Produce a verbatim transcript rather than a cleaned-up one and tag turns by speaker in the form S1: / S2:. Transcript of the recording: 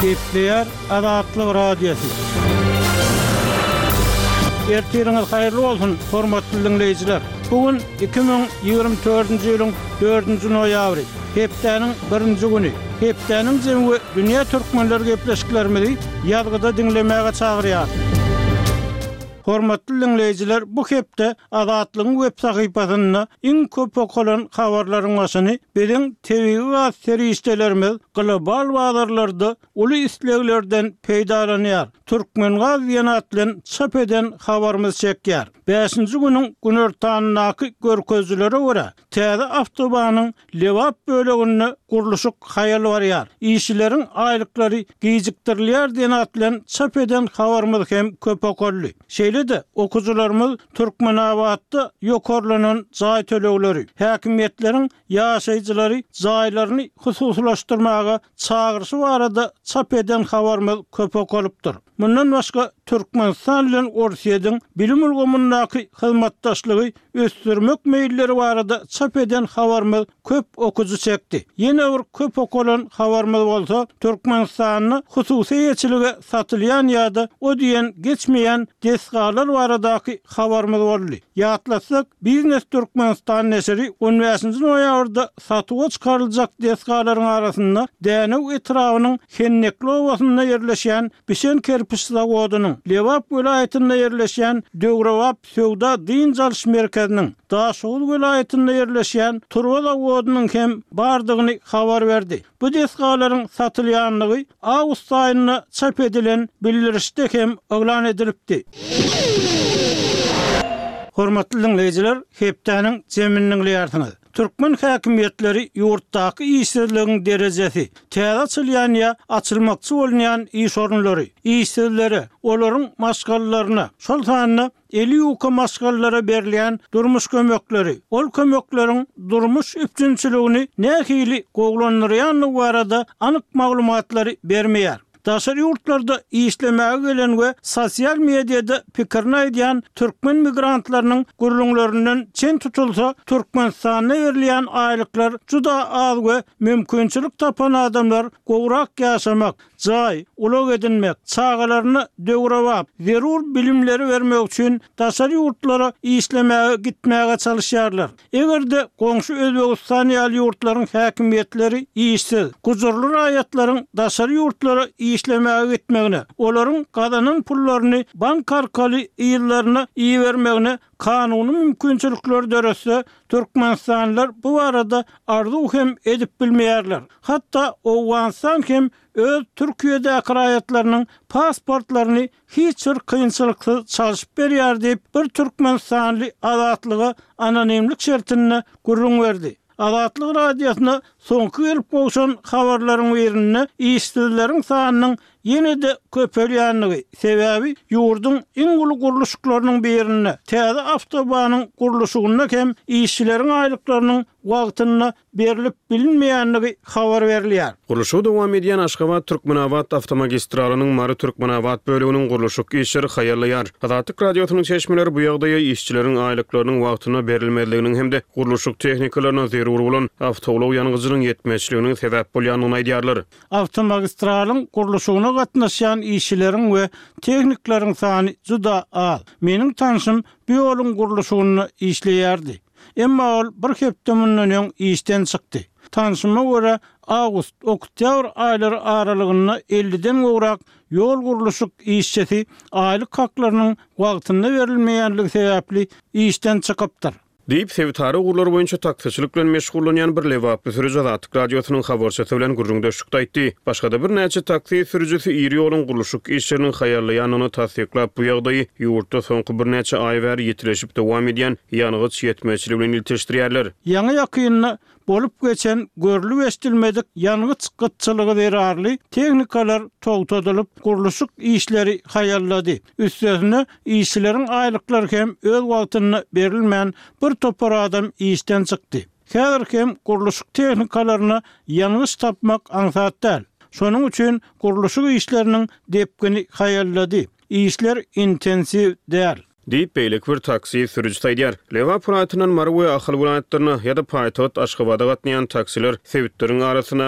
S1: Gepleýär Azatlyk Radiosy. Ertiriňiz haýyrly bolsun, hormatly diňleýjiler! Bu gün iki müň ýigrimi dördünji ýylyň dördünji noýabry, hepdäniň birinji güni. Hepdäniň jemi we dünýä türkmenleri gepleşiklerimizi ýazgyda diňlemäge çagyrýar. Hormatly diňleýjiler, bu hepde Azatlygyň web sahypasynda iň köp okalan habarlaryň başyny biziň tebigy gaz serişdelerimiz global bazarlarda uly isleglerden peýdalanýar, Türkmengaz diýen at bilen çap eden habarymyz çekýär. Bäşinji günüň günortanyndaky görkezijilere görä, täze awtobanyň Lebap böleginde gurluşyk haýal barýar, işçileriň aýlyklary gijikdirilýär diýen at bilen çap eden habarymyz hem köp okaldy. Şeýle-de, okyjylarymyz Türkmenabatda ýokarlanan jaý tölegleri, häkimiýetleriň ýaşaýjylary jaýlaryny hususylaşdyrmaga çagyryşy barada çap eden habarymyz köp okalypdyr. Mundan başga, Türkmenistan bilen Orsýetiň bilim ulgamyndaky hyzmatdaşlygy ösdürmek meýilleri barada çap eden habarymyz köp okyjy çekdi. Ýene bir köp okalan habarymyz bolsa, Türkmenistanda hususy eýeçilige satylýan ýa-da o diýen geçmeýän desgalar baradaky habarymyz boldy. Ýatlatsak, Biznes Türkmenistan neşiri on bäşinji noýabrda satuwa çykaryljak desgalaryň arasynda Dänew etrabynyň Hennekli obasynda ýerleşýän bişen kerpiç zawodynyň, Lebap welaýatynda ýerleşýän döwrebap söwda-dynç alyş merkeziniň, Daşoguz welaýatynda ýerleşýän turba zawodynyň hem bardygyny habar berdi. Bu desgalaryň satylýandygy awgust aýynda çap edilen bildirişde hem yglan edilipdi. Hormatly diňleýjiler, hepdäniň jemini diňleýärsiňiz. Türkmen häkimiýetleri ýurtdaky işsizligiň derejesi, täze açylýan ýa açylmakçy bolunýan iş orunlary, işsizlere, olaryň maşgalalaryna, şol sanda eli ýuka maşgalalara berilýän durmuş kömekleri, ol kömekleriň durmuş üpjünçiligini nähili gowulandyrýandygy barada anyk maglumatlary bermeýär. Daşary ýurtlarda işlemäge gelen we sosial mediada pikirini aýdýan türkmen migrantlarynyň gürrüňlerinden çen tutulsa, Türkmenistanda berilýän aýlyklar juda az we mümkinçilik tapan adamlar gowrak ýaşamak, jaý, ulag edinmek, çagalaryna döwrebap, zerur bilimleri bermek üçin daşary ýurtlara işlemäge gitmäge çalyşýarlar. Eger-de goňşy Özbegistan ýaly ýurtlaryň häkimiýetleri işsiz, gujurly raýatlaryň daşary ýurtlara işlemäge gitmegine, olaryň gazanan pullaryny bank arkaly yzlaryna ibermegine kanuny mümkinçilikleri döretse, türkmenistanlylar bu barada arzuw hem edip bilmeýärler. Hatda Owganystan hem öz Türkiýedäki raýatlarynyň pasportlaryny hiç bir kynçylyksyz çalşyp berýär diýip, bir türkmenistanly Azatlyga anonimlik şertinde gürrüň berdi. Azatlyk Radiosyna soňky gelip gowşan habarlaryň birinde işsizleriň sanynyň ýene-de köpelýändigi, sebäbi ýurduň iň uly gurluşyklarynyň birinde, täze awtobanyň gurluşygynda hem işçileriň aýlyklarynyň wagtynda berlip bilinmeýändigi habar berilýär.
S2: Gurluşygy dowam edýän Aşgabat-Türkmenabat awtomagistralynyň Mary-Türkmenabat böleginiň gurluşyk işleri haýallaýar. Azatlyk Radiosynyň çeşmeleri bu ýagdaýa işçileriň aýlyklarynyň wagtynda berilmezliginiň hem-de gurluşyk tehnikalaryna zerur bolan awtoulag ýangyjynyň ýetmezçiliginiň sebäp bolýandygyny aýdýarlar.
S1: Awtomagistralyň gurluşygyna gatnaşýan işçileriň we tehnikleriň sany juda az. Meniň tanşym bu ýoluň gurluşygynda işleýärdi. Emma ol bir hepde mundan öň işden çykdy. Tanşyma görä, awgust, oktýabr aýlary aralygynda elliden gowrak ýol gurluşyk işçisi aýlyk haklarynyň wagtynda berilmeýänligi sebäpli işden çykypdyr.
S2: Diýip, sebitara ugurlar boýunça taksiçilik bilen meşgullanýan bir lebaply sürüji Azatlyk Radiosynyň habarçysy bilen gürrüňdeşlikde aýtdy. Başga-da birnäçe taksi sürüjisi iri ýoluň gurluşyk işleriniň haýallaýandygyny tassyklap, bu ýagdaýy ýurtda soňky birnäçe aý bäri ýitileşip dowam edýän ýangyç ýetmezçiligi bilen ilteşdirýärler.
S1: Ýaňy-ýakynda bolup geçen görlüp-eşidilmedik ýangyç gytçylygy zerarly tehnikalar togtadylyp, gurluşyk işleri haýallady. Üstesine, işçileriň aýlyklary hem öz wagtynda berilmän, bir topar adam işden çykdy. Häzir hem gurluşyk tehnikalaryna ýangyç tapmak aňsat däl. Şonuň üçin gurluşyk işleriniň depgini haýallady. Işler intensiw däl.
S2: Diýip, beýleki bir taksi sürüjisi aýdýar. Lebap welaýatyndan Mary we Ahal welaýatlaryna ýa-da paýtagt Aşgabada gatnaýan taksiler sebitleriň arasyndaky